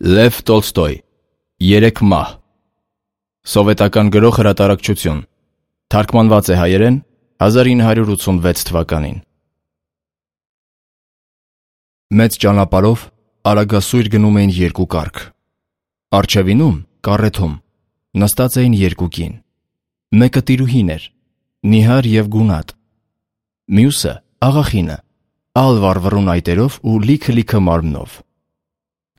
Լև Տոլստոյ, Երեք մահ, սովետական գրող հրատարակչություն, թարգմանված է հայերեն 1986 թվականին։ Մեծ ճանապարհով արագասույր գնում էին երկու կառք։ Առջևինում, կառեթում, նստած էին երկու կին։ Մեկը տիրուհին էր, նիհար և գունատ։ Մյուսը աղախինը, ալ վառվռուն այտերով ու լիքը մարմնով։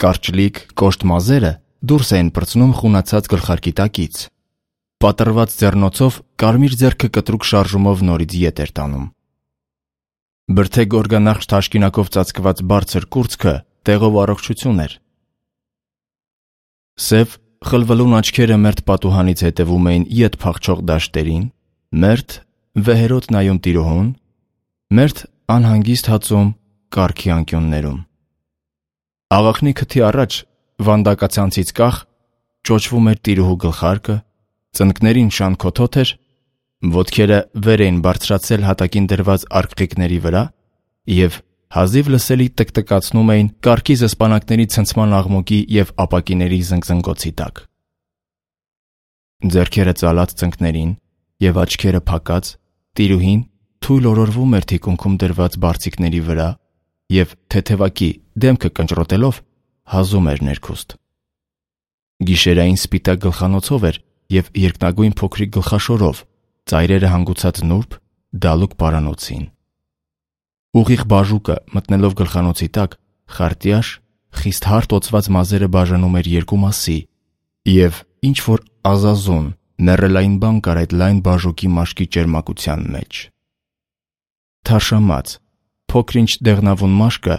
Կարճլիկ, կոշտ մազերը դուրս էին պրծնում խունացած գլխարկի տակից։ Պատռված ձեռնոցով կարմիր ձեռքը կտրուկ շարժումով նորից ետ էր տանում։ Բրդե գորգանախշ թաշկինակով ծածկված բարձր կուրծքը տեղով առողջություն էր։ Սև, խլվլուն աչքերը մերթ պատուհանից հետևում էին ետ փախչող դաշտերին, մերթ վեհերոտ նայում տիրոհուն, մերթ անհանգիստ հացում կառքի անկյուններում։ Աղախնի քթի առաջ, վանդակացանցից կախ, ճոճվում էր տիրուհու գլխարկը, ծնկներին շան քոթոթ էր, ոտքերը վեր էին բարձրացել հատակին դրված արկղիկների վրա և հազիվ լսելի տկտկացնում էին կառքի զսպանակների ցնցման աղմուկի և ապակիների զնգզնգոցի տակ։ Ձեռքերը ծալած ծնկներին և աչքերը փակած, տիրուհին թույլ օրորվում էր թիկունքում դրված բարձիկների վրա և թեթևակի դեմքը կնճռոտելով հազում էր ներքուստ։ Գիշերային սպիտակ գլխանոցով էր և երկնագույն փոքրիկ գլխաշորով, ծայրերը հանգուցած նուրբ, դալուկ պարանոցին։ Ուղիղ բաժուկը մտնելով գլխանոցի տակ, խարտյաշ, խիստ հարթ օծված մազերը բաժանում էր երկու մասի և ինչ-որ ազազուն, մեռելային բան կար այդ լայն բաժուկի մաշկի ճերմակության մեջ։ Թարշամած, փոքր-ինչ դեղնավուն մաշկը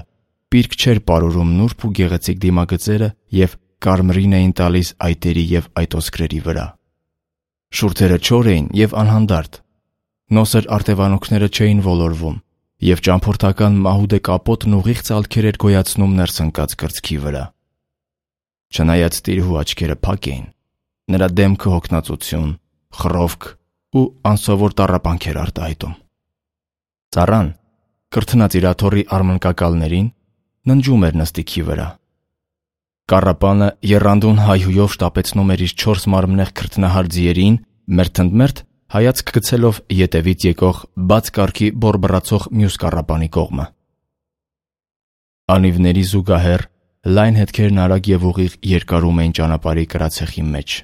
պիրկ չէր պարուրում նուրբ ու գեղեցիկ դիմագծերը և կարմրին էին տալիս այտերի և այտոսկրերի վրա։ Շուրթերը չոր էին և անհանդարտ, նոսր արտևանոքները չէին ոլորվում և ճամփորդական մահուդե կապոտն ուղիղ ծալքեր էր գոյացնում ներս ընկած կրծքի վրա։ Չնայած տիրուհու աչքերը փակ էին, նրա դեմքը հոգնածություն, խռովք ու անսովոր տառապանք էր արտահայտում։ Ծառան, կրթնած իր աթոռի արմնկակալներին, ննջում էր նստիքի վրա։ Կառապանը եռանդուն հայհույով շտապեցնում էր իր 4 մարմնեղ քրտնահար ձիերին, մերթընդմերթ հայացք գցելով ետևից եկող բաց կառքի բորբռացող մյուս կառապանի կողմը։ Անիվների զուգահեռ լայն հետքերն արագ և ուղիղ երկարում էին ճանապարհի կրացեխի մեջ։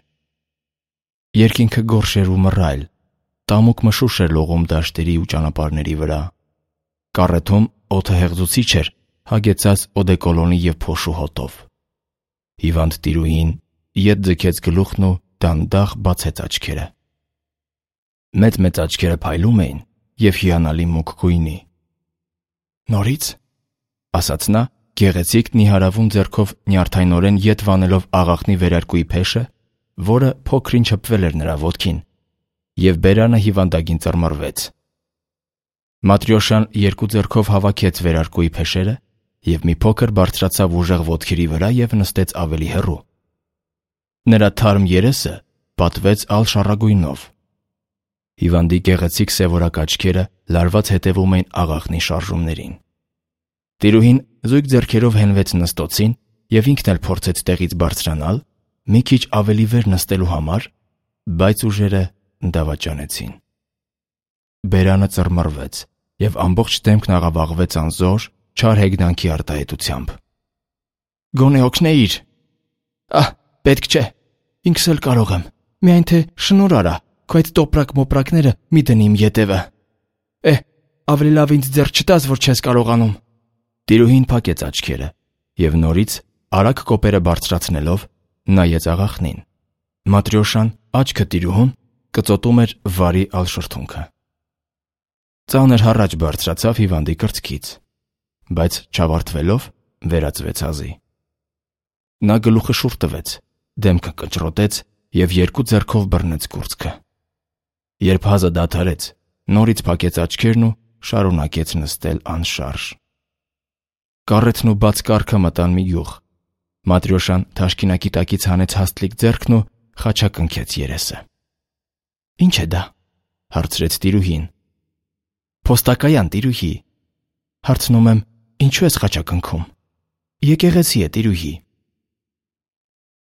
Երկինքը գորշ էր ու մռայլ, տամուկ մշուշ էր լողում դաշտերի ու ճանապարհների վրա։ Կառեթում օդը հեղձուցիչ էր, հագեցած օդեկոլոնի և փոշու հոտով։ Հիվանդ տիրուհին ետ ձգեց գլուխն ու դանդաղ բացեց աչքերը։ Մեծ աչքերը փայլում էին և հիանալի մուգ գույնի։ «Նորից», ասաց նա, գեղեցիկ նիհարավուն ձեռքով նյարդայնորեն ետ վանելով աղախնի վերարկուի փեշը, որը փոքր-ինչ հպվել էր նրա ոտքին, և բերանը հիվանդագին ծռմռվեց։ Մատրյոշան երկու ձեռքով հավաքեց վերարկուի փեշերը և մի փոքր բարձրացավ ուժեղ ոտքերի վրա և նստեց ավելի հեռու։ Նրա թարմ երեսը պատվեց ալ շառագույնով։ Հիվանդի գեղեցիկ սևորակ աչքերը լարված հետևում էին աղախնի շարժումներին։ Տիրուհին զույգ ձեռքերով հենվեց նստոցին և ինքն էլ փորձեց տեղից բարձրանալ, մի քիչ ավելի վեր նստելու համար, բայց ուժերը դավաճանեցին։ Բերանը ծռմռվեց և ամբողջ դեմքն աղավաղվեց անզոր, չար հեգնանքի արտահայտությամբ։ «Գոնե օգնեիր»։ «Ահ, պետք չէ, ինքս էլ կարող եմ, միայն թե շնորհ արա, քո այդ տոպրակ-մոպրակները մի դնի իմ ետևը։ Ավելի լավ ինձ ձեռք չտաս, որ չես կարողանում»։ Տիրուհին փակեց աչքերը և նորից, արագ կոպերը բարձրացնելով, նայեց աղախնին։ Մատրյոշան, աչքը տիրուհուն, կծոտում էր վարի ալշրթունքը։ Ծանր հառաչ բարձրացավ հիվանդի կրծքից, բայց չավարտվելով վերածվեց հազի։ Նա գլուխը շուռ տվեց, դեմքը կնճռոտեց և երկու ձեռքով բռնեց կուրծքը։ Երբ հազը դադարեց, նորից փակեց աչքերն ու շարունակեց նստել անշարժ։ Կառեթն ու բաց կառքը մտան մի գյուղ։ Մատրյոշան թաշկինակի տակից հանեց հաստլիկ ձեռքն ու խաչակնքեց երեսը։ «Ի՞նչ է դա»։ հարցրեց տիրուհին։ «Փոստակայան, տիրուհի»։ Հարցնում եմ, ինչու ես խաչակնքում։ «Եկեղեցի է, տիրուհի»։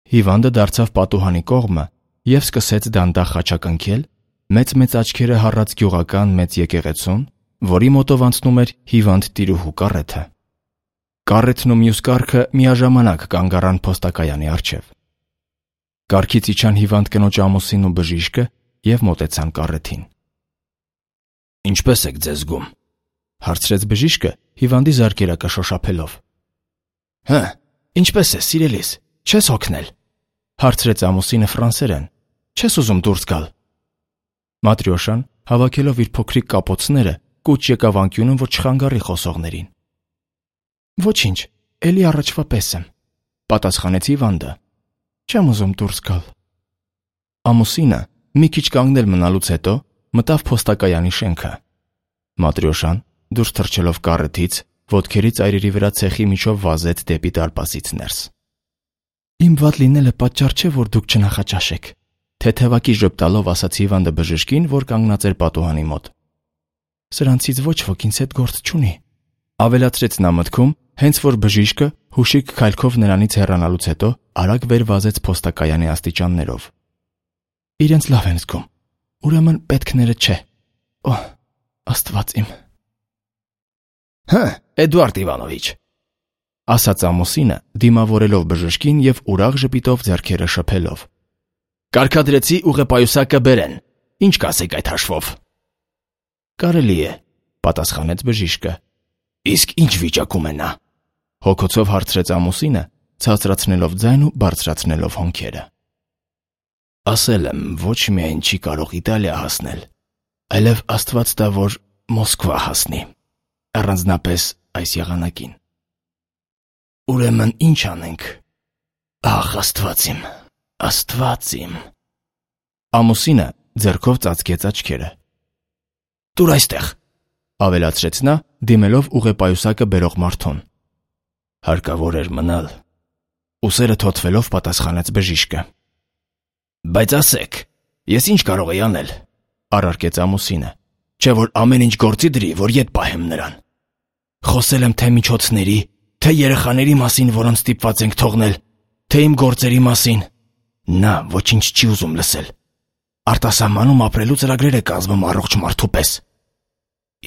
հիվանդը դարձավ պատուհանի կողմը և սկսեց դանդաղ խաչակնքել մեծ աչքերը հառած գյուղական մեծ եկեղեցուն, որի մոտով անցնում էր հիվանդ տիրուհու կառեթը։ Կառեթն ու մյուս կառքը միաժամանակ կանգ առան փոստակայանի առջև։ Կառքից իջան հիվանդ կնոջ ամուսինն ու բժիշկը և մոտեցան կառեթին։ «Ինչպե՞ս եք ձեզ զգում», հարցրեց բժիշկը հիվանդի զարկերակը շոշափելով։ «Ինչպե՞ս ես, սիրելիս, չես հոգնել», հարցրեց ամուսինը ֆրանսերեն։ «Չես ուզում դուրս գալ»։ Մատրյոշան, հավաքելով իր փոքրիկ կապոցները, կուչ եկավ անկյունում, որ չխանգարի խոսողներին։ «Ոչինչ, էլի առաջվա պես եմ», պատասխանեց հիվանդը։ «Չեմ ուզում դուրս գալ»։ Ամուսինը, մի քիչ կանգնել մնալուց հետո, մտավ փոստակայանի շենքը։ Մատրյոշան, դուրս թռչելով կառեթից, ոտքերի ծայրերի վրա ցեխի միջով վազեց դեպի դարպասից ներս։ «Իմ վատ լինելը պատճառ չէ, որ դուք չնախաճաշեք», թեթևակի ժպտալով ասաց հիվանդը բժշկին, որ կանգնած էր պատուհանի մոտ։ «Սրանցից ոչ ոք ինձ հետ գործ չունի», ավելացրեց նա մտքում, հենց որ բժիշկը հուշիկ քայլքով նրանից հեռանալուց հետո արագ վեր վազեց փոստակայանի աստիճաններով։ «Իրենց լավ են զգում, ուրեմն պետքները չէ։ Օհ, Աստված իմ»։ «Էդուարդ Իվանովիչ», ասաց ամուսինը, դիմավորելով բժշկին և ուրախ ժպիտով ձեռքերը շփելով։ «Կարգադրեցի ուղեպայուսակը բերեն, ինչ կասեք այդ հաշվով»։ «Կարելի է», պատասխանեց բժիշկը։ «Իսկ ինչ վիճակում է նա», հոգոցով հարցրեց ամուսինը, ցածրացնելով ձայն ու բարձրացնելով հոնքերը։ «Ասել եմ, ոչ միայն չի կարող Իտալիա հասնել, այլև Աստված տա, որ Մոսկվա հասնի, առանձնապես այս եղանակին»։ «Ուրեմն ինչ անենք։ Ախ, Աստված իմ, Աստված իմ»։ Ամուսինը ձեռքով ծածկեց աչքերը։ «Տուր այստեղ», ավելացրեց նա, դիմելով ուղեպայուսակը բերող մարդուն։ «Հարկավոր էր մնալ», ուսերը թոթվելով պատասխանեց բժիշկը։ «Բայց ասեք, ես ինչ կարող եի անել», առարկեց ամուսինը, «չէ՞ որ ամեն ինչ գործի դրի, որ ետ պահեմ նրան։ Խոսել եմ թե միջոցների, թե երեխաների մասին, որոնց ստիպված ենք թողնել, թե իմ գործերի մասին։ Նա ոչինչ չի ուզում լսել։ Արտասահմանում ապրելու ծրագրեր է կազմում առողջ մարդու պես։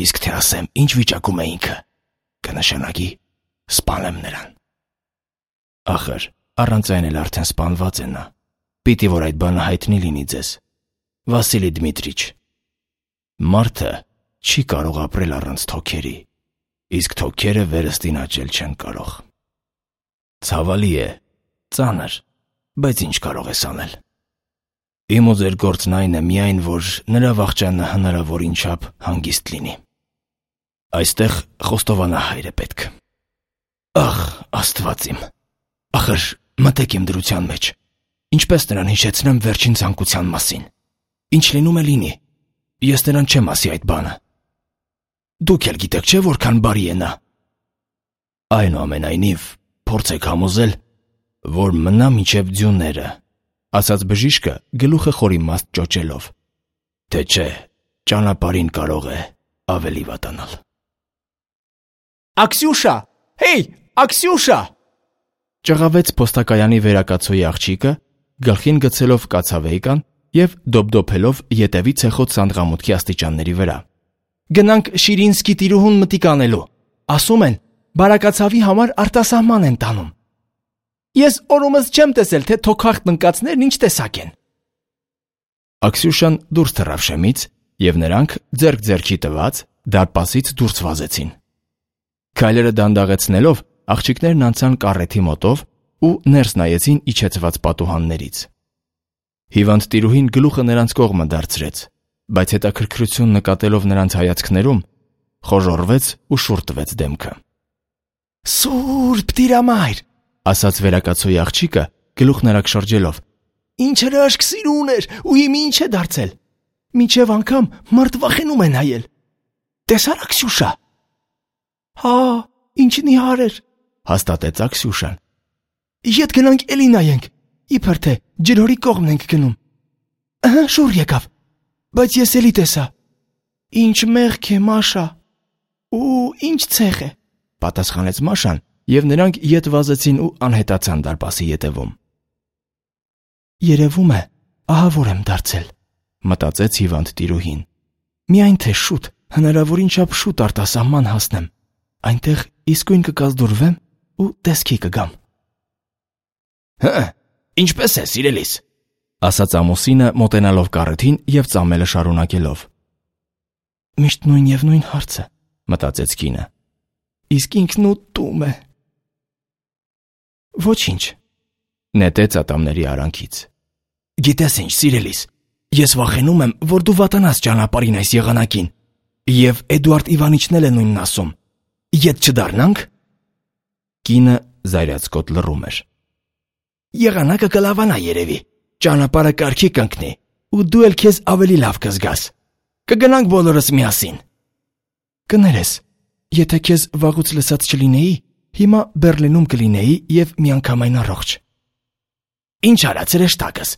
Իսկ թե ասեմ, ինչ վիճակում է ինքը, կնշանակի սպանեմ նրան։ Ախր, առանց այն էլ արդեն սպանված է նա։ Պիտի որ այդ բանը հայտնի լինի ձեզ, Վասիլի Դմիտրիչ։ Մարդը չի կարող ապրել առանց թոքերի, իսկ թոքերը վերստին աճել չեն կարող։ Ցավալի է, ծանր, բայց ինչ կարող ես անել։ Իմ ու ձեր գործն այն է միայն, որ նրա վախճանը հնարավորին չափ հանգիստ լինի։ Այստեղ խոստովանահայր է պետք։ Ախ, Աստված իմ, ախր մտեք իմ դրության մեջ, ինչպես նրան հիշեցնեմ վերջին ցանկության մասին։ Ինչ լինում է լինի, ես նրան չեմ ասի այդ բանը։ Դուք էլ գիտեք, չէ՞ որքան բարի է նա։ Այնուամենայնիվ, փորձեք համոզել, որ մնա մինչև ձյունները, ասաց բժիշկը գլուխը խորիմաստ ճոճելով, թե չէ, ճանապարհին կարող է ավելի վատանալ։ Աքսյուշա, հեյ, Աքսյուշա, ճղավեց փոստակայանի վերակացոյի աղջիկը, գլխին գցելով կացավեյկան և դոփդոփելով ետևի ցեխոտ սանդղամուտքի աստիճանների վրա։ Գնանք Շիրինսկի տիրուհուն մտիկ անելու։ Ասում են, բարակացավի համար արտասահման են տանում։ Ես օրումս չեմ տեսել, թե թոքախտ ընկածներն ինչ տեսակ են։ Աքսյուշան դուրս թռավ շեմից, և նրանք ձեռք ձեռքի տված դարպասից դուրս վազեցին։ Քայլերը դանդաղեցնելով, աղջիկներն անցան կառեթի մոտով ու ներս նայեցին իջեցված պատուհաններից։ Հիվանդ տիրուհին գլուխը նրանց կողմը դարձրեց, բայց հետաքրքրություն նկատելով նրանց հայացքներում, խոժոռվեց ու շուռ տվեց դեմքը։ Սուրբ Տիրամայր, ասաց վերակացոյի աղջիկը, գլուխն արագ շրջելով։ Ինչ հրաշք սիրուն էր ու հիմա ինչ է դարձել։ Մինչև անգամ մարդ վախենում է նայել։ Տեսա՞ր Աքսյուշա։ Հա, ինչ նիհար էր, հաստատեց Աքսյուշան։ Ետ գնանք էլի նայենք, իբր թե ջրորի կողմն ենք գնում։ Ահա շուռ եկավ, բայց ես էլի տեսա։ Ինչ մեղք է, Մաշա։ Ու ինչ ցեղ է, պատասխանեց Մաշան, և նրանք ետ վազեցին ու անհետացան դարպասի ետևում։ Երևում է, ահա որ եմ դարձել, մտածեց հիվանդ տիրուհին։ Միայն թե շուտ, հնարավորին չափ շուտ արտասահման հասնեմ, այնտեղ իսկույն կկազդուրվեմ ու տեսքի կգամ։ Ինչպես է, սիրելիս, ասաց ամուսինը մոտենալով կառեթին և ծամելը շարունակելով։ Միշտ նույն և նույն հարցը, մտածեց կինը։ Իսկ ինքն ուտում է։ Ոչինչ, նետեց ատամների արանքից։ Գիտես ինչ, սիրելիս, ես վախենում եմ, որ դու վատանաս ճանապարհին այս եղանակին, և Էդուարդ Իվանիչն էլ է նույնն ասում։ Ետ չդառնանք։ Կինը զայրացկոտ լռում էր։ Եղանակը կլավանա երևի, ճանապարհը կարգի կընկնի, ու դու էլ քեզ ավելի լավ կզգաս։ Կգնանք բոլորս միասին։ Կներես, եթե քեզ վաղուց լսած չլինեի, հիմա Բեռլինում կլինեի և միանգամայն առողջ։ Ինչ արած հրեշտակս,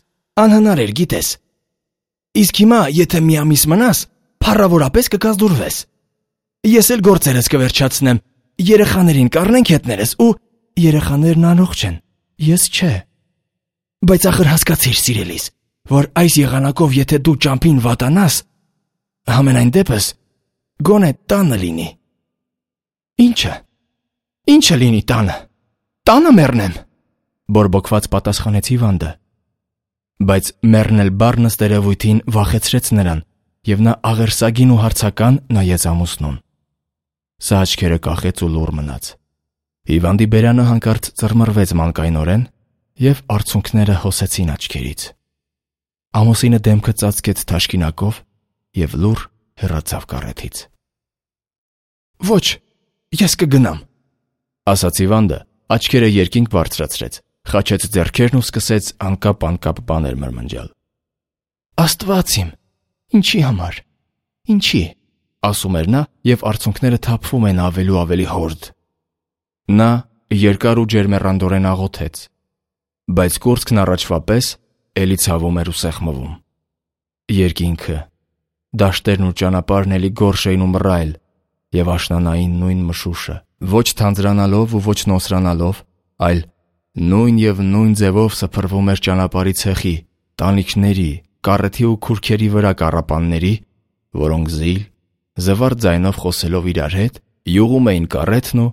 անհնար էր, գիտես։ Իսկ հիմա, եթե մի ամիս մնաս, փառավորապես կկազդուրվես։ Ես էլ գործերս կվերջացնեմ, երեխաներին կառնենք հետներս ու… Երեխաներն առողջ են, ես չէ։ Բայց ախր հասկացիր, սիրելիս, որ այս եղանակով եթե դու ճամփին վատանաս, համենայն դեպս, գոնե տանը լինի։ Ինչը լինի տանը։ Տանը մեռնեմ։ Բորբոքված պատասխանեց հիվանդը։ Բայց մեռնել բառն ըստ երևույթին վախեցրեց նրան, և նա աղերսագին ու հարցական նայեց ամուսնուն։ Սա աչքերը կախեց ու լուռ մնաց։ Հիվանդի բերանը հանկարծ ծռմռվեց մանկայնորեն, և արցունքները հոսեցին աչքերից։ Ամուսինը դեմքը ծածկեց թաշկինակով և լուռ հեռացավ կառեթից։ Ոչ, ես կգնամ, ասաց հիվանդը, աչքերը երկինք բարձրացրեց, խաչեց ձեռքերն ու սկսեց անկապ բաներ մրմնջալ։ Աստված իմ, ինչի համար, ինչի, ասում էր նա, և արցունքները թափվում են ավելի ու ավելի հորդ։ Նա երկար ու ջերմեռանդորեն աղոթեց, բայց կուրծքն առաջվա պես էլի ցավում էր ու սեղմվում։ Երկինքը, դաշտերն ու ճանապարհն էլի գորշ էին ու մռայլ, և աշնանային նույն մշուշը, ոչ թանձրանալով ու ոչ նոսրանալով, այլ նույն և նույն ձևով սփռվում էր ճանապարհի ցեխի, տանիքների, կառեթի ու քուրքերի վրա կառապանների, որոնք զվարթ ձայնով խոսելով իրար հետ, յուղում էին կառեթն ու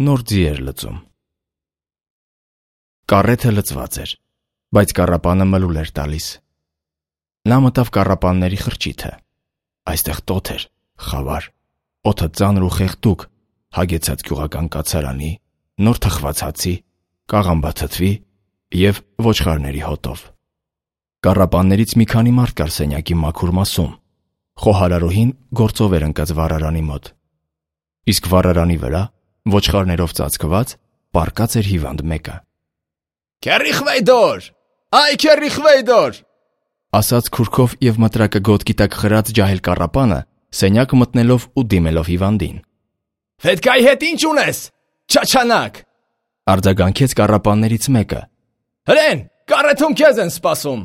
նոր ձիեր լծում։ Կառեթը լծված էր, բայց կառապանը մլուլ էր տալիս։ Նա մտավ կառապանների խրճիթը։ Այստեղ տոթ էր, խավար, օդը ծանր ու խեղդուկ, հագեցած գյուղական կացարանի, նոր թխված հացի, կաղամբաթթվի և ոչխարների հոտով։ Կառապաններից մի քանի մարդ կար սենյակի մաքուր մասում։ Խոհարարուհին գործով էր ընկած վառարանի մոտ։ Իսկ վառարանի վրա, ոչխարներով ծածկված, պառկած էր հիվանդ մեկը։ Քերիխվեյդոր, այ քերիխվեյդոր, ասաց քուրքով և մտրակը գոտքի տակ խրած ջահել կառապանը, սենյակ մտնելով ու դիմելով հիվանդին։ Ֆետկայի հետ ինչ ունես, չաչանակ, արձագանքեց կառապաններից մեկը։ Հրեն, կառեթում քեզ են սպասում։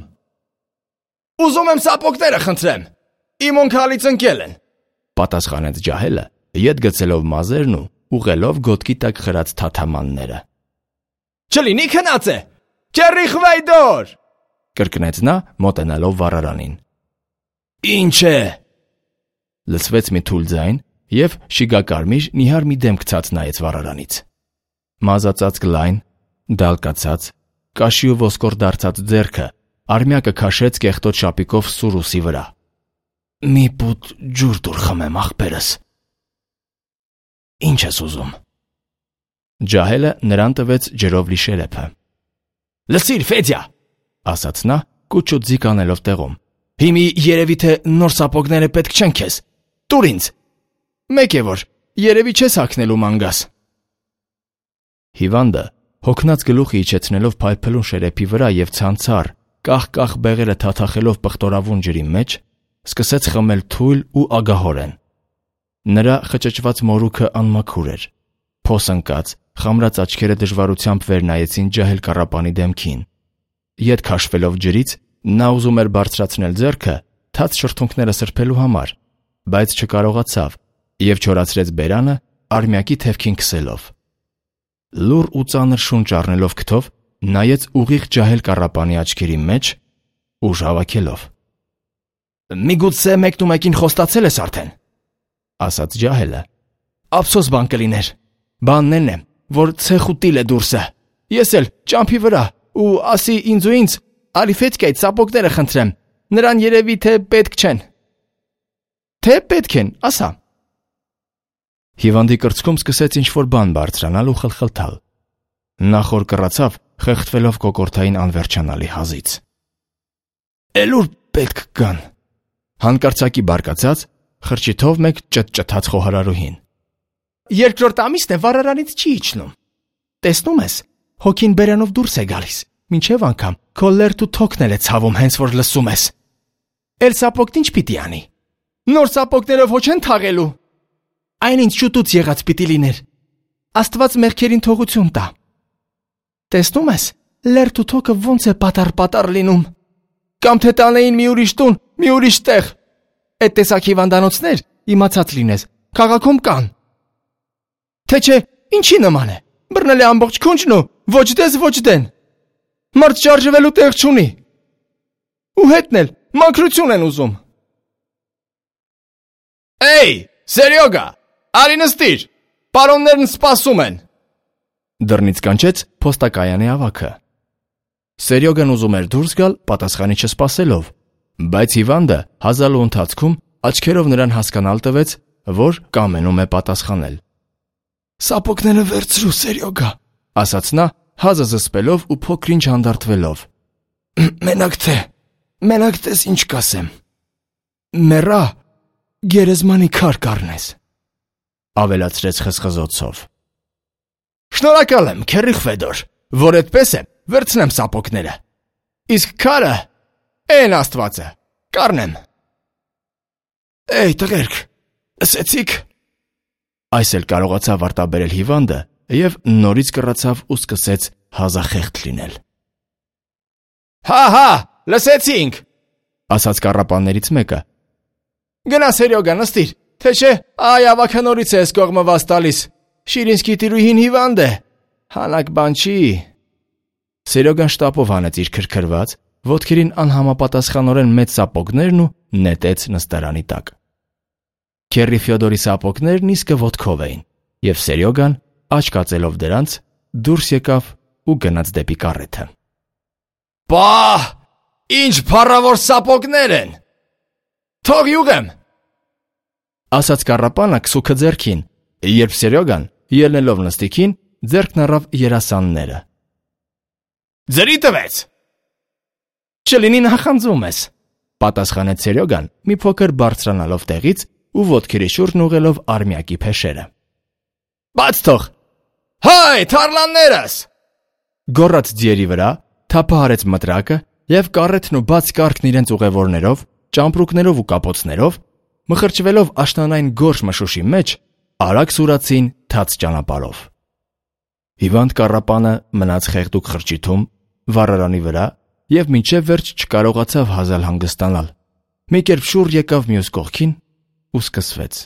Ուզում եմ սապոգները խնդրեմ, իմ ունքալից ընկել են, պատասխանեց ջահելը, ետ գցելով մազերն ու ուղղելով գոտքի տակ խրած թաթամանները։ Չլինի քնած է, քերիխվեյդոր, կրկնեց նա, մոտենալով վառարանին։ Ինչ է, լսվեց մի թույլ ձայն, և շիգակարմիր նիհար մի դեմք ցած նայեց վառարանից։ Մազածածկ լայն, դալկացած, կաշի ու ոսկոր դարձած ձեռքը արմյակը քաշեց կեղտոտ շապիկով սուրուսի վրա։ Մի պուտ ջուր տուր խմեմ, ախպերս։ Ինչ ես ուզում։ Ջահելը նրան տվեց ջրով լի շերեփը։ Լսիր, Ֆեդյա, ասաց նա, կուչ ու ձիգ անելով տեղում։ Հիմի երևի թե նոր սապոգները պետք չեն քեզ։ Տուր ինձ։ Մեկ է որ, երևի չես հագնելու մանգաս։ Հիվանդը, հոգնած գլուխը իջեցնելով փայփլուն շերեփի վրա և ցանցառ, կախ բեղերը թաթախելով պղտորավուն ջրի մեջ, սկսեց խմել թույլ ու ագահորեն։ Նրա խճճված մորուքը անմաքուր էր։ Փոս ընկած, խամրած աչքերը դժվարությամբ վեր նայեցին ջահել կառապանի դեմքին։ Ետ քաշվելով ջրից, նա ուզում էր բարձրացնել ձեռքը թաց շրթունքները սրբելու համար, բայց չկարողացավ և չորացրեց բերանը արմյակի թևքին քսելով։ Լուռ ու ծանր շունչ առնելով քթով, նայեց ուղիղ ջահել կառապանի աչքերի մեջ, ուժ հավաքելով։ Միգուցե մեկնումեկին խոստացել ես արդեն, ասաց ջահելը։ Ափսոս բան կլիներ։ Բանն է, որ ցեխուտիլ է դուրսը։ Ես էլ ճամփի վրա ու ասի ինձ ու ինձ Ալիֆետկայի ծապոկները խնդրեմ։ Նրան երևի թե պետք չեն։ Թե պետք են, ասա։ Հիվանդի կրծքում սկսեց ինչ-որ բան բարձրանալ ու խլխլթալ։ Նա խոր կռացավ, խեղդվելով կոկորդային անվերջանալի հազից։ Էլ ուր պետք կան։ Հանկարծակի բարկացած, խրճիթով մեկ ճտճթաց խոհարարուհին։ Երկրորդ ամիսն է վառարանից չի իջնում։ Տեսնում ես, հոգին բերանով դուրս է գալիս, մինչև անգամ քո լերթ ու թոքն էլ է ցավում հենց որ լսում ես։ Էլ սապոգն ինչ պիտի անի։ Նոր սապոգներով ոչ են թաղելու։ Այն ինչ շուտուց եղած պիտի լիներ։ Աստված մեղքերին թողություն տա։ Տեսնում ես, լերթ ու թոքը ոնց է պատար լինում։ Կամ թե տանեին մի ուրիշ տուն, մի ուրիշ տեղ։ Այդ տեսակ հիվանդանոցներ, իմացած լինես, քաղաքում կան։ Թե չէ, ինչի նման է։ Բռնել է ամբողջ քունջն ու ոչ դես ոչ դեն։ Մարդ շարժվելու տեղ չունի։ Ու հետն էլ մաքրություն են ուզում։ Էյ, Սերյոգա, արի նստիր։ Պարոններն սպասում են։ Դռնից կանչեց փոստակայանի ավագը։ Սերյոգան ուզում էր դուրս գալ պատասխանի չսպասելով, բայց հիվանդը հազալու ընթացքում աչքերով նրան հասկանալ տվեց, որ կամենում է պատասխանել։ Սապոգները վերցրու, Սերյոգա, ասաց նա, հազը զսպելով ու փոքրինչ հանդարտվելով։ Մենակ տես ինչ կասեմ։ Մեռա, գերեզմանի քար կառնես, ավելացրեց խզխզոցով։ Շնորհակալ եմ, քեռի Ֆեդոր, որ այդպես է, վերցնեմ սապոգները։ Իսկ քարը, այն Աստվածը, կառնեմ։ Էй, տղերք, լսեցիք։ Այս էլ կարողացավ արտաբերել հիվանդը և նորից կռացավ ու սկսեց հազախեղդ լինել։ Հա, լսեցինք, ասաց կառապաններից մեկը։ Գնա Սերյոգա, նստիր, թե չէ, այ ավագը նորից է այս կողմը վազ տալիս։ Շիրինսկի տիրուհին հիվանդ է, հանակ բան չի։ Սերյոգան շտապով հանեց իր քրքրված, ոտքերին անհամապատասխանորեն մեծ սապոգներն ու նետեց նստարանի տակ։ Քեռի Ֆյոդորի սապոգներն իսկը ոտքով էին, և Սերյոգան, աչքածելով դրանց, դուրս եկավ ու գնաց դեպի կառեթը։ Պահ, ինչ փառավոր սապոգներ են։ Թող յուղեմ, ասաց կառապանը քսուքը ձեռքին, երբ Սերյոգան, ելնելով նստիկին, ձեռքն առավ երասանները։ Ձրի տվեց։ Չլինի նախանձում ես, պատասխանեց Սերյոգան, մի փոքր բարձրանալով տեղից ու ոտքերի շուրջն ուղղելով արմյակի փեշերը։ Բաց թող։ Հայ, թարլաններս։ Գոռաց ձիերի վրա, թափահարեց մտրակը և կառեթն ու բաց կառքն իրենց ուղևորներով, ճամպրուկներով ու կապոցներով, մխրճվելով աշնանային գորշ մշուշի մեջ, արագ սուրացին թաց ճանապարհով։ Հիվանդ կառապանը մնաց խեղդուկ խրճիթում, վառարանի վրա և մինչև վերջ չկարողացավ հազալ հանգստանալ։ Մի կերպ շուռ եկավ մյուս կողքին ու սկսվեց։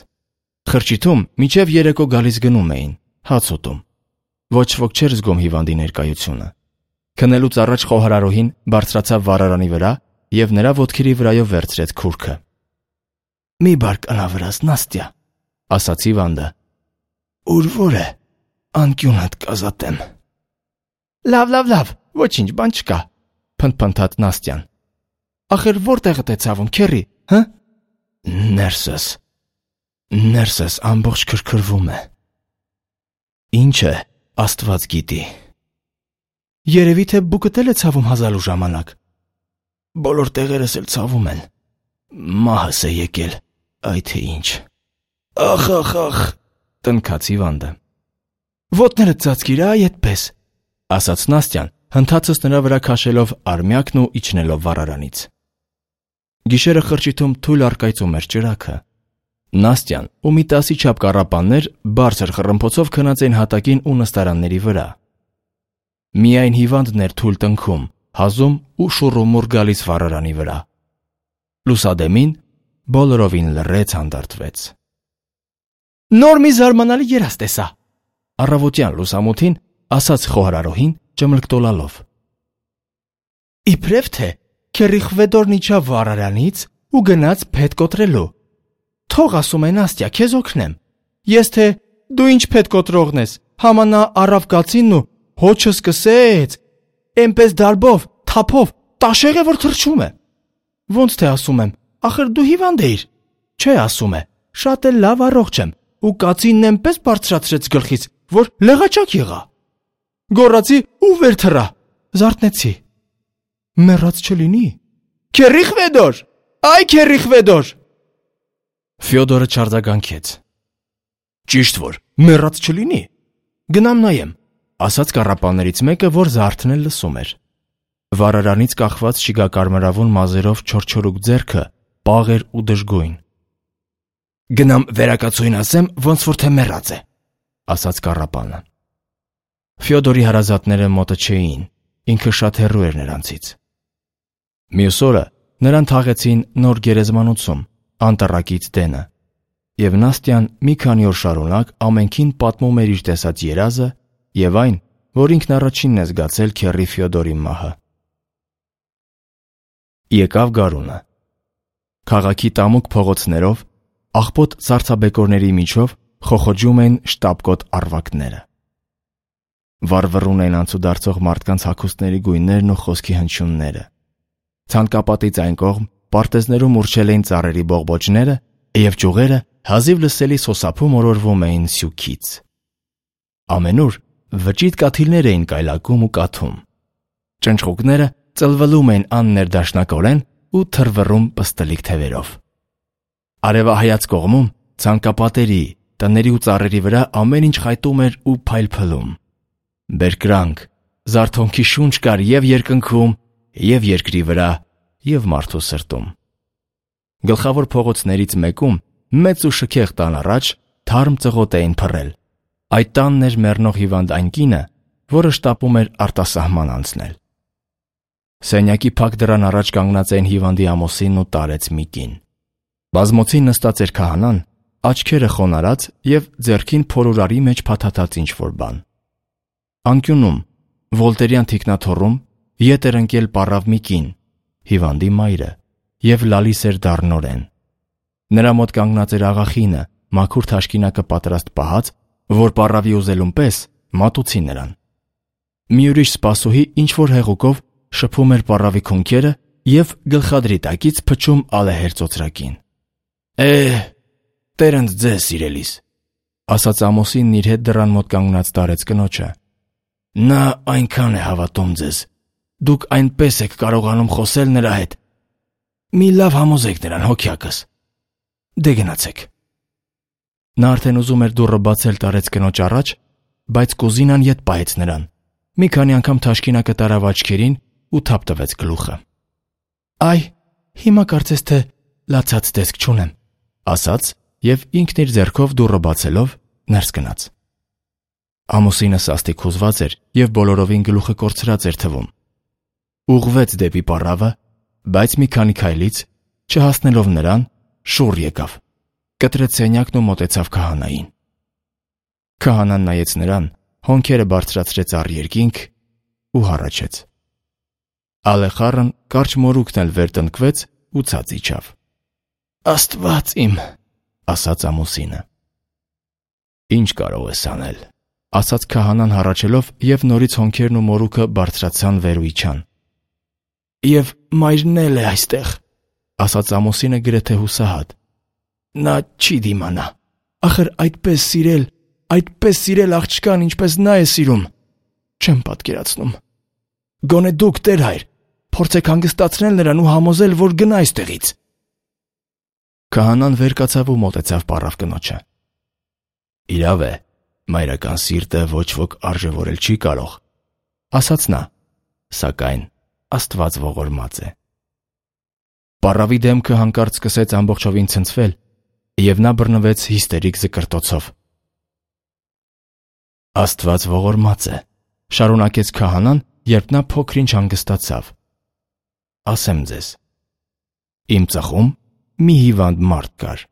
Խրճիթում մինչև երեկո գալիս գնում էին, հաց ուտում։ Ոչ ոք չէր զգում հիվանդի ներկայությունը։ Քնելուց առաջ խոհարարուհին բարձրացավ վառարանի վրա և նրա ոտքերի վրայով վերցրեց քուրքը։ Մի բարկանա վրաս, Նաստյա, ասաց հիվանդը։ Ուր որ է, անկյունդ կազատեմ։ Լավ, ոչինչ բան չկա, փնթփնթաց Նաստյան։ Ախր որտեղդ է ցավում, քեռի, հը։ Ներսս ամբողջ քրքրվում է։ Ինչ է, Աստված գիտի։ Երևի թե բուկդ էլ է ցավում հազալու ժամանակ։ Բոլոր տեղերս էլ ցավում են։ Մահս է եկել, այ թե ինչ։ Ախ, տնքաց հիվանդը։ Ոտներդ ծածկիր, այ այդպես, ասաց Նաստյան, հնդածս նրա վրա քաշելով արմյակն ու իջնելով վառարանից։ Գիշերը խրճիթում թույլ առկայծում էր ճրագը։ Նաստյան ու մի 10 չափ կառապաններ բարձր խռմփոցով քնած էին հատակին ու նստարանների վրա։ Միայն հիվանդն էր թույլ տնքում, հազում ու շուռումուռ գալիս վառարանի վրա։ Լուսադեմին բոլորովին լռեց հանդարտվեց։ Նոր մի զարմանալի երազ տեսա, առավոտյան լուսամուտին ասաց խոհարարուհին ճմլկտոլալով։ Իբրև թե քերի Խվեդորն իջավ վառարանից ու գնաց փետ կոտրելու։ Թող ասում է Նաստյա, քեզ օգնեմ։ Ես թե դու ինչ փետ կոտրողն ես, համա նա առավ կացինն ու հոչը սկսեց, էնպես դարբով, թափով, տաշեղ է որ թռչում է։ Ոնց թե ասում եմ, ախր դու հիվանդ էիր։ Չէ, ասում է, շատ էլ լավ առողջ եմ, ու կացինն էնպես բարձրացրեց գլխից, որ լեղաճակ եղա։ Գոռացի ու վեր թռա, զարթնեցի։ Մեռած չլինի։ Քերի Խվեդոր, այ քերի Խվեդոր։ Ֆյոդորը չարձագանքեց։ Ճիշտ որ մեռած չլինի։ Գնամ նայեմ, ասաց կառապաններից մեկը, որ զարթնել լսում էր։ Վառարանից կախված շիգակարմրավուն մազերով չորչորուկ ձեռքը պաղ էր ու դժգույն։ Գնամ վերակացույն ասեմ, ոնց որ թե մեռած է, ասաց կառապանը։ Ֆյոդորի հարազատները մոտը չէին, ինքը շատ հեռու էր նրանցից։ Մյուս օրը նրան թաղեցին նոր գերեզմանոցում, անտառակից դենը, եւ Նաստյան մի քանի օր շարունակ ամենքին պատմում էր իր տեսած երազը եւ այն, որ ինքն առաջինն է զգացել քեռի Ֆյոդորի մահը։ Եկավ գարունը։ Քաղաքի տամուկ փողոցներով, աղբոտ սառցաբեկորների միջով խոխոջում են շտապկոտ առվակները։ Վառվռուն են անցուդարձող մարդկանց հագուստների գույներն ու խոսքի հնչյունները։ Ցանկապատից այն կողմ պարտեզներում ուռչել էին ծառերի բողբոջները եւ ճյուղերը հազիվ լսելի սոսափում օրորվում էին սյուքից։ Ամենուր վճիտ կաթիլներ էին կայլակում ու կաթում։ Ճնճղուկները ծլվլում էին աններդաշնակորեն ու թրվռում պստլիկ թևերով։ Արևահայաց կողմում ցանկապատերի, տների ու ծառերի վրա ամեն ինչ խայտում էր ու փայլփլում։ Բերկրանք, զարթոնքի շունչ կար եւ երկնքում, եւ երկրի վրա, եւ մարդու սրտում։ Գլխավոր փողոցներից մեկում մեծ ու շքեղ տան առաջ թարմ ծղոտ էին փռել։ Այդ տանն էր մեռնող հիվանդ այն կինը, որը շտապում էր արտասահման անցնել։ Սենյակի փակ դռան առաջ կանգնած էին հիվանդի ամուսինն ու տարեց մի կին։ Բազմոցին նստած էր քահանան, աչքերը խոնարհած եւ ձեռքին փորուրարի մեջ փաթաթած ինչ-որ բան։ Անկյունում, Վոլտերյան թիկնաթոռում, ետ էր ընկել պառավ մի կին, հիվանդի մայրը, եւ լալիս էր դառնորեն։ Նրա մոտ կանգնած էր աղախինը, մաքուր թաշկինակը պատրաստ պահած, որ պառավի ուզելուն պես մատուցի նրան։ Մի ուրիշ սպասուհի ինչ-որ հեղուկով շփում էր պառավի քունքերը եւ գլխադրի տակից փչում ալեհեր ծոծրակին։ Տերընդ ձեզ սիրելիս, ասաց ամուսինն իր հետ դռան մոտ կանգնած տարեց կնոջը։ Նա այնքան է հավատում ձեզ, դուք այնպես եք կարողանում խոսել նրա հետ։ Մի լավ համոզեք նրան, հոգյակս։ Դե գնացեք։ Նա արդեն ուզում էր դուռը բացել տարեց կնոջ առաջ, բայց կուզինան ետ պահեց նրան։ Մի քանի անգամ թաշկինակը տարավ աչքերին ու թափ տվեց գլուխը։ Այ, հիմա կարծես թե լացած տեսք չունեմ, ասաց եւ ինքն իր ձեռքով դուռը բացելով ներս գնաց։ Ամուսինը սաստիկ հուզված էր եւ բոլորովին գլուխը կորցրած էր թվում։ Ուղղվեց դեպի պառավը, բայց մի քանի քայլից, չհասնելով նրան, շուռ եկավ, կտրեց սենյակն ու մոտեցավ քահանային։ Քահանան նայեց նրան, հոնքերը բարձրացրեց առ երկինք ու հառաչեց։ Ալեխառն կարճ մորուքն էլ վեր տնկվեց ու ցած իջավ։ Աստված իմ, ասաց ամուսինը։ Ինչ կարող ես անել, ասաց քահանան հառաչելով եւ նորից հոնքերն ու մորուքը բարձրացան վեր ու իջան։ Եվ մայրն էլ է այստեղ, ասաց ամուսինը գրեթե հուսահատ։ Նա չի դիմանա, ախր այդպես սիրել աղջկան, ինչպես նա է սիրում, չեմ պատկերացնում։ Գոնե դուք, Տեր հայր, փորձեք հանգստացնել նրան ու համոզել, որ գնա այստեղից։ Քահանան վեր կացավ ու մոտեցավ պառավ կնոջը։ Իրավ է, մայրական սիրտը ոչ ոք արժևորել չի կարող, ասաց նա, սակայն Աստված ողորմած է։ Պառավի դեմքը հանկարծ սկսեց ամբողջովին ցնցվել, եւ նա բռնվեց հիստերիկ զկրտոցով։ Աստված ողորմած է, շարունակեց քահանան, երբ նա փոքր-ինչ հանգստացավ։ Ասեմ ձեզ, իմ ծխում մի հիվանդ մարդ կար։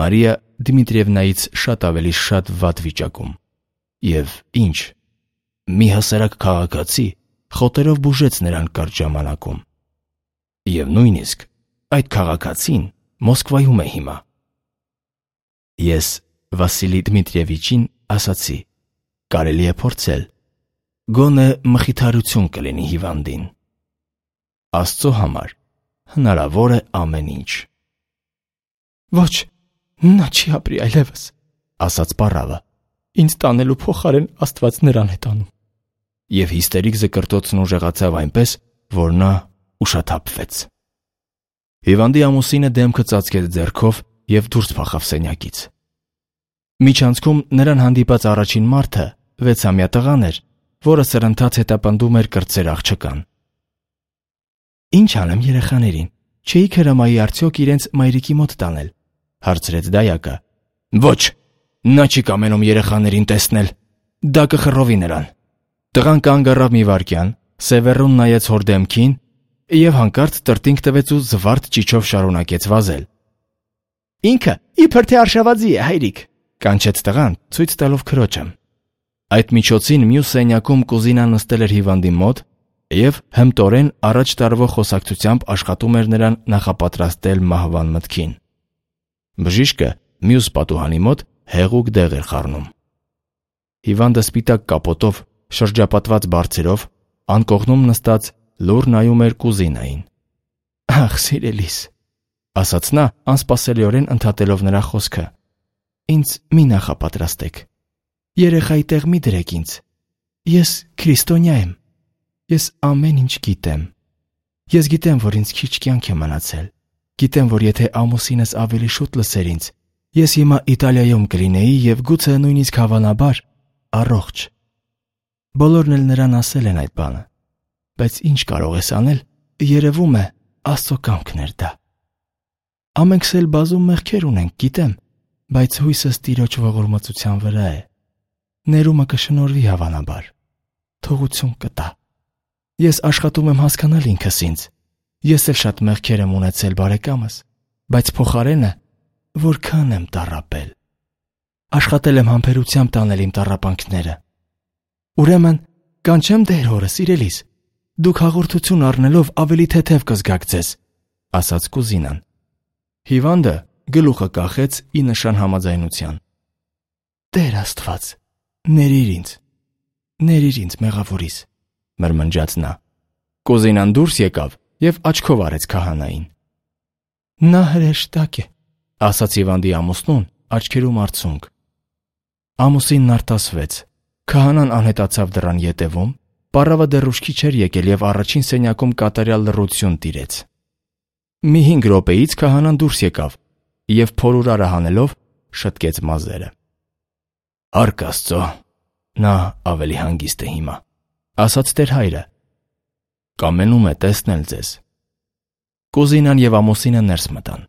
Մարիա Դմիտրիևնայից շատ ավելի շատ վատ վիճակում։ Եվ ինչ, մի հասարակ քաղաքացի խոտերով բուժեց նրան կարճ ժամանակում։ Եվ նույնիսկ այդ քաղաքացին Մոսկվայում է հիմա։ Ես Վասիլի Դմիտրիևիչին ասացի. կարելի է փորձել, գոնե մխիթարություն կլինի հիվանդին։ Աստծո համար հնարավոր է ամեն ինչ։ Ոչ, նա չի ապրի այլևս, ասաց պառավը։ ինձ տանելու փոխարեն Աստված նրան է տանում։ Եվ հիստերիկ զկրտոցն ուժեղացավ այնպես, որ նա ուշաթափվեց։ Հիվանդի ամուսինը դեմքը ծածկեց ձեռքով և դուրս փախավ սենյակից։ Միջանցքում նրան հանդիպած առաջին մարդը 6-ամյա տղան էր, որը սրընթաց հետապնդում էր կրտսեր աղջկան։ Ինչ անեմ երեխաներին, չէի հրամայի արդյոք իրենց մայրիկի մոտ տանել, հարցրեց դայակը։ Ոչ, նա չի կամենում երեխաներին տեսնել, դա կխռովի նրան։ Տղան կանգ առավ մի վայրկյան, սևեռուն նայեց հոր դեմքին և հանկարծ տրտինգ տվեց ու զվարթ ճիչով շարունակեց վազել։ Ինքը իբր թե արշավածի է, հայրիկ, կանչեց տղան, ցույց տալով քրոջը։ Այդ միջոցին մյուս սենյակում կուզինան նստել էր հիվանդի մոտ և հմտորեն առաջ տարվող խոսակցությամբ աշխատում էր նրան նախապատրաստել մահվան մտքին։ Բժիշկը մյուս պատուհանի մոտ հեղուկ դեղ էր խառնում։ Հիվանդը սպիտակ կապոտով, շրջապատված բարձերով, անկողնում նստած լուռ նայում էր կուզինային։ Ախ, սիրելիս, ասաց նա, անսպասելիորեն ընդհատելով նրա խոսքը։ Ինձ մի նախապատրաստեք։ Երեխայի տեղ մի դրեք ինձ։ Ես քրիստոնյա եմ։ Ես ամեն ինչ գիտեմ։ Ես գիտեմ, որ ինձ քիչ կյանք է մնացել։ Գիտեմ, որ եթե ամուսինս ավելի շուտ լսեր ինձ, ես հիմա Իտալիայում կլինեի և գուցե նույնիսկ հավանաբար առողջ։ Բոլորն էլ նրան ասել են այդ բանը։ Բայց ինչ կարող ես անել, երևում է Աստծո կամքն էր դա։ Ամենքս էլ բազում մեղքեր ունենք, գիտեմ, բայց հույսս Տիրոջ ողորմածության վրա է։ Ներումը կշնորհվի հավանաբար։ Թողություն կտա։ Ես աշխատում եմ հասկանալ ինքս ինձ։ Ես էլ շատ մեղքեր եմ ունեցել, բարեկամս, բայց փոխարենը որքան եմ տառապել։ Աշխատել եմ համբերությամբ տանել իմ տառապանքները։ Ուրեմն, կանչեմ դեր հորը, սիրելիս, դուք հաղորդություն առնելով ավելի թեթև կզգաք ձեզ, ասաց կուզինան։ Հիվանդը գլուխը կախեց ի նշան համաձայնության։ Տեր Աստված, ներիր ինձ մեղավորիս, մրմնջաց նա։ Կուզինան դուրս եկավ և աչքով արեց քահանային։ Նա հրեշտակ է, ասաց հիվանդի ամուսնուն, աչքերում արցունք։ Ամուսինն արտասվեց։ Քահանան անհետացավ դռան ետևում, պառավը դեռ ուշքի չէր եկել և առաջին սենյակում կատարյալ լռություն տիրեց։ Մի 5 րոպեից քահանան դուրս եկավ և փորուրարը հանելով շտկեց մազերը։ Հարկ Աստծո, նա ավելի հանգիստ է հիմա, ասաց տեր հայրը։ Կամենում է տեսնել ձեզ։ Կուզինան և ամուսինը ներս մտան։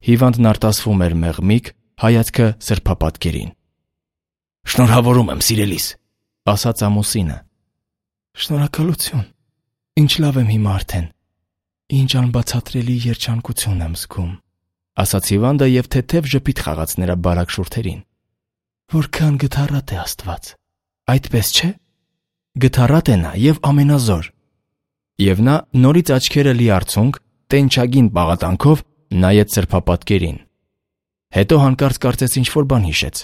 Հիվանդն արտասվում էր մեղմիկ, հայացքը սրբապատկերին։ Շնորհավորում եմ, սիրելիս, ասաց ամուսինը։ Շնորհակալություն, ինչ լավ եմ հիմա արդեն։ Ինչ անբացատրելի երջանկություն եմ զգում, ասաց հիվանդը և թեթև ժպիտ խաղաց նրա բարակ շուրթերին։ Որքան գթառատ է Աստված, այդպես չէ։ Գթառատ է նա և ամենազոր։ Եվ նա նորից աչքերը լի արցունք, տենչագին պաղատանքով նայեց սրբապատկերին։ Հետո հանկարծ կարծեց ինչ-որ բան հիշեց։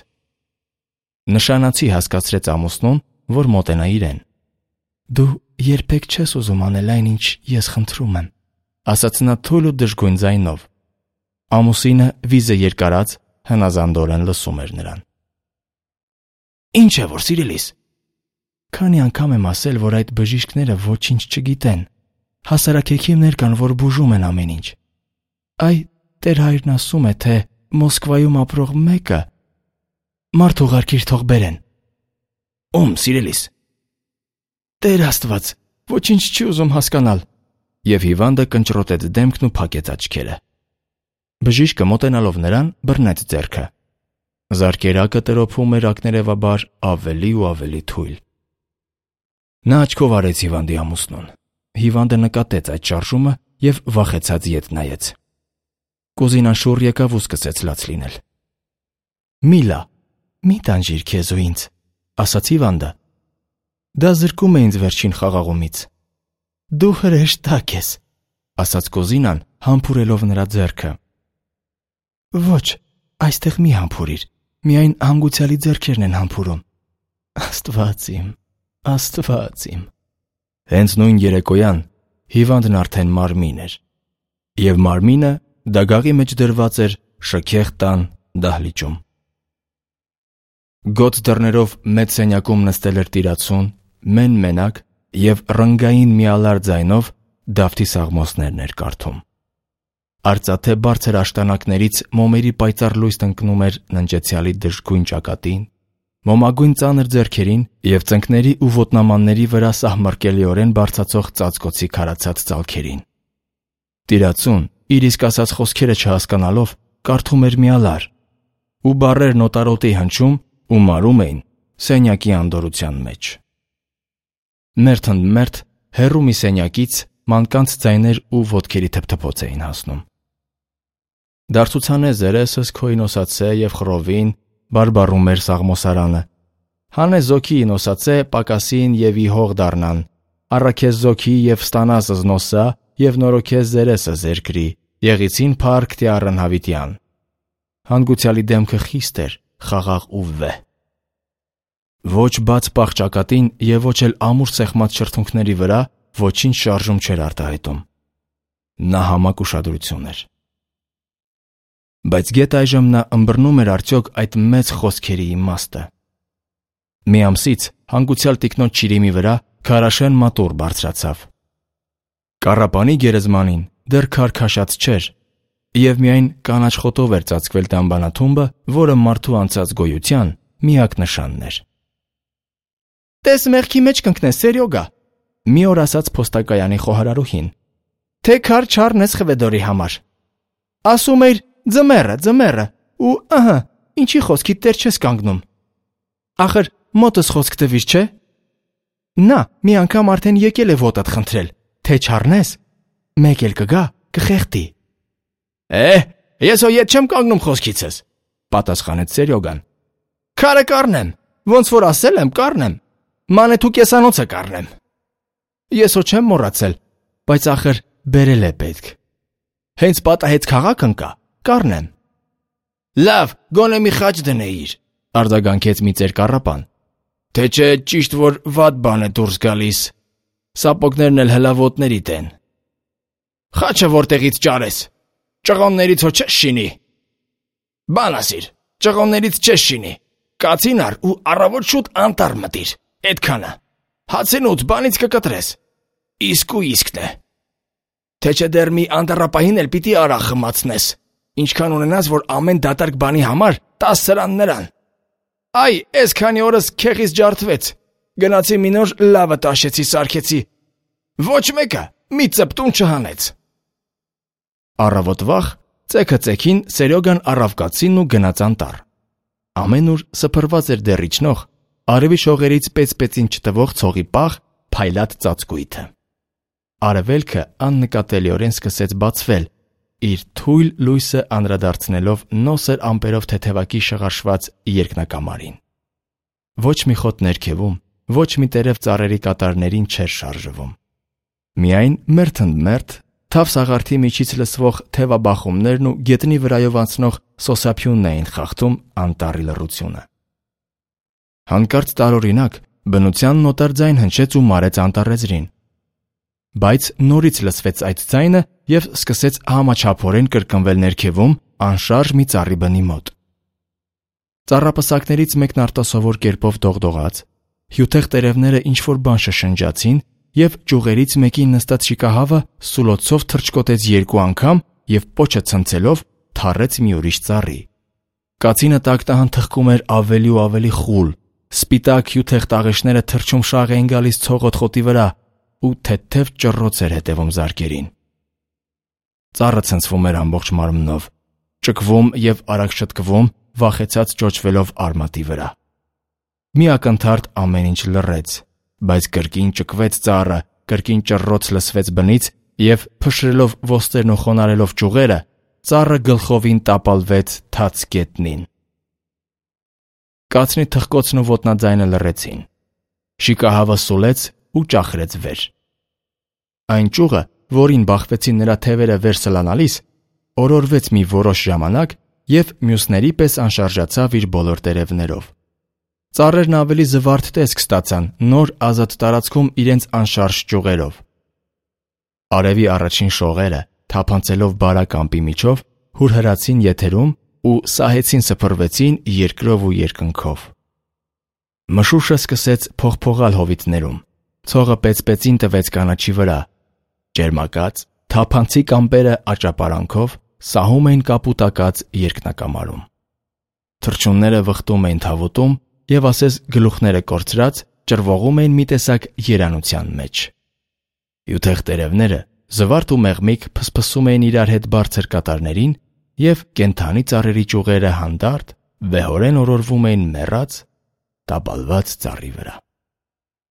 Նշանացի հասկացրեց ամուսնուն, որ մոտենա իրեն։ Դու երբեք չես ուզում անել այն, ինչ ես խնդրում եմ, ասաց նա թույլ ու դժգույն ձայնով։ Ամուսինը վիզը երկարած հնազանդորեն լսում էր նրան։ Ինչ է որ, սիրելիս։ Քանի անգամ եմ ասել, որ այդ բժիշկները ոչինչ չգիտեն։ Հասարակեքիմներ կան, որ բուժում են ամեն ինչ։ Այ տեր հայրն ասում է, թե Մոսկվայում ապրող մեկը մարդ ուղարկիր թող բերեն։ Ում, սիրելիս։ Տեր Աստված, ոչինչ չի ուզում հասկանալ։ Եվ հիվանդը կնճռոտեց դեմքն ու փակեց աչքերը։ Բժիշկը մոտենալով նրան բռնեց ձեռքը։ Զարկերակը տրոփում էր ակներևաբար ավելի ու ավելի թույլ։ Նա աչքով արեց հիվանդի ամուսնուն։ Հիվանդը նկատեց այդ շարժումը և վախեցած ետ նայեց։ Կուզինան շուռ եկավ ու սկսեց լաց լինել։ Միլա, մի տանջիր քեզ ու ինձ, ասաց հիվանդը։ Դա զրկում է ինձ վերջին խաղաղումից։ Դու հրեշտակ ես, ասաց Կոզինան, համբուրելով նրա ձեռքը։ Ոչ, այստեղ մի համբուրիր, միայն հանգուցյալի ձեռքերն են համբուրում։ Աստված իմ։ Հենց նույն երեկոյան հիվանդն արդեն մարմին էր, և մարմինը դագաղի մեջ դրված էր շքեղ տան դահլիճում։ Գոծ դռներով մեծ սենյակում նստել էր տիրացուն, մենակ և ռնգային միալար ձայնով Դավթի սաղմոսներն էր կարդում։ Արծաթե բարձր աշտանակներից մոմերի պայծառ լույսն ընկնում էր ննջեցյալի դժգույն ճակատին, մոմագույն ծանր ձեռքերին և ծնկների ու ոտնամանների վրա սահմռկելիորեն բարձրացող ծածկոցի քարացած ծալքերին։ Տիրացուն, իր իսկ ասած խոսքերը չհասկանալով, կարդում էր միալար, ու բառերն օտարոտի հնչում ու մարում էին սենյակի անդորրության մեջ։ Մերթ ընդ մերթ հեռու մի սենյակից մանկանց ձայներ ու ոտքերի թփթփոց էին հասնում։ Դարձուցանե զերեսս քո ինոսացե և խռովին, բարբառում էր սաղմոսարանը։ Հանե զոքի ինոսացե պակասին և իհող դառնան, առաքես զոքի և ստանաս զնոսա և նորոքես զերեսը զերկրի, եղիցին փառք տի առնհավիտյան։ Հանգուցյալի դեմքը խիստ էր, խաղաղ ու վեհ։ Ոչ բաց պաղ ճակատին և ոչ էլ ամուր սեղմած շրթունքների վրա ոչինչ շարժում չէր արտահայտում։ Նա համակ ուշադրություն էր։ Բայց գեթ այժմ նա ըմբռնում էր արդյոք այդ մեծ խոսքերի իմաստը։ Մի ամսից հանգուցյալ տիկնոջ շիրիմի վրա քարաշեն մատուռ բարձրացավ։ Կառապանի գերեզմանին դեռ քար քաշած չէր, և միայն կանաչ խոտով էր ծածկվել դամբանաթումբը, որը մարդու անցած գոյության միակ նշանն էր։ Տես մեղքի մեջ կընկնես, Սերյոգա, մի օր ասաց փոստակայանի խոհարարուհին։ Թե քար չառնես Խվեդորի համար։ Ասում էիր ձմեռը, ու ըհը, ինչի խոսքիդ տեր չես կանգնում։ Ախր մոտս խոսք տվիր, չէ։ Նա մի անգամ արդեն եկել է ոտդ խնդրել, թե չառնես, մեկ էլ կգա, կխեղդի։ Ես հո ետ չեմ կանգնում խոսքիցս, պատասխանեց Սերյոգան։ Քարը կառնեմ, ոնց որ ասել եմ, կառնեմ։ Մանեթու կեսանոցը կառնեմ։ Ես հո չեմ մոռացել, բայց ախր բերել է պետք։ Հենց պատահեց քաղաք ընկա, կառնեմ։ Լավ, գոնե մի խաչ դնեիր, արձագանքեց մի ծեր կառապան։ Թե չէ ճիշտ որ վատ բան է դուրս գալիս։ Սապոգներն էլ հլավոտներիդ են։ Խաչը որտեղից ճարես։ Ճղոններից հո չես շինի։ Բան ասիր, ճղոններից չես շինի։ Կացին առ ու առավոտ շուտ անտառ մտիր։ Էդքանը։ Հացենուց բանից կկտրես։ Իսկն է։ Թե չէ դեռ մի անտառապահին էլ պիտի արախ խմացնես։ Ինչքան ունենաս, որ ամեն դատարկ բանի համար 10 սրան նրան։ Այ, այսքանի օրս քեխից ջարդվեց։ Գնացի մի նոր լավը տաշեցի, սարքեցի։ Ոչ մեկը մի ծպտուն չհանեց։ Առավոտ վաղ, ծեքը ծեքին Սերյոգան առավ կացինն ու գնաց անտառ։ Ամեն ուր սփռված էր դեռ իջնող, արևի շողերից պեծ-պեծին չտվող ցողի պաղ, փայլատ ծածկույթը։ Արևելքը աննկատելիորեն սկսեց բացվել, իր թույլ լույսը անդրադարձնելով նոսր ամպերով թեթևակի շղարշված երկնակամարին։ Ոչ մի խոտ ներքևում, ոչ մի տերև ծառերի կատարներին չէր շարժվում։ Միայն մերթ ընդ մերթ թավ սաղարթի միջից լսվող թևաբախումներն ու գետնի վրայով անցնող սոսափյունն էին խախտում անտառի լռությունը։ Հանկարծ տարօրինակ բնության նոտար ձայն հնչեց ու մարեց անտառեզրին։ Բայց նորից լսվեց այդ ձայնը և սկսեց համաչափորեն կրկնվել ներքևում անշարժ մի ծառի բնի մոտ։ Ծառապսակներից մեկն արտասովոր կերպով դողդողաց, հյութեղ տերևները ինչ-որ բան շշնջացին և ճյուղերից մեկին նստած շիկահավը սուլոցով թռչկոտեց 2 անգամ և պոչը ցնցելով թառեց մի ուրիշ ծառի։ Կացինը տակտահան թխկում էր ավելի ու ավելի խուլ, սպիտակ հյութեղ տաղեշները թռչում շաղ էին գալիս ցողոտ խոտի վրա ու թեթև ճռռոց էր հետևում զարկերին։ Ծառը ցնցվում էր ամբողջ մարմնով, ճկվում և արագ շտկվում, վախեցած ճոճվելով արմատի վրա։ Մի ակնթարթ ամեն ինչ լռեց, բայց կրկին ճկվեց ծառը, կրկին ճռռոց լսվեց բնից և փշրելով ոստրերն ու խոնարհելով ճյուղերը, ծառը գլխովին տապալվեց թաց գետնին։ Կացնի թխկոցն ու ոտնաձայնը լռեցին։ շիկահավը սուլեց ու ճախրեց վեր։ Այն ճյուղը, որին բախվեցին նրա թևերը վեր սլանալիս, օրորվեց մի որոշ ժամանակ և մյուսների պես անշարժացավ իր բոլոր տերևներով։ Ծառերն ավելի զվարթ տեսք ստացան նոր ազատ տարածքում իրենց անշարժ ճյուղերով։ Արևի առաջին շողերը, թափանցելով բարակ ամպի միջով, հուրհրացին եթերում ու սահեցին սփռվեցին երկրով ու երկնքով։ Մշուշը սկսեց փողփողալ հովիտներում, ցողը պեցպեցին տվեց կանաչի վրա, ջերմակաց, թափանցիկ ամպերը աճապարանքով սահում էին կապուտակած երկնակամարում։ Թռչունները վխտում էին թավուտում և ասես գլուխները կորցրած ճռվողում էին մի տեսակ երանության մեջ։ Յուտեղ տերևները զվարթ ու մեղմիկ փսփսում էին իրար հետ բարձր կատարներին և կենդանի ծառերի ճյուղերը հանդարտ, վեհորեն օրորվում էին մեռած, տապալված ծառի վրա։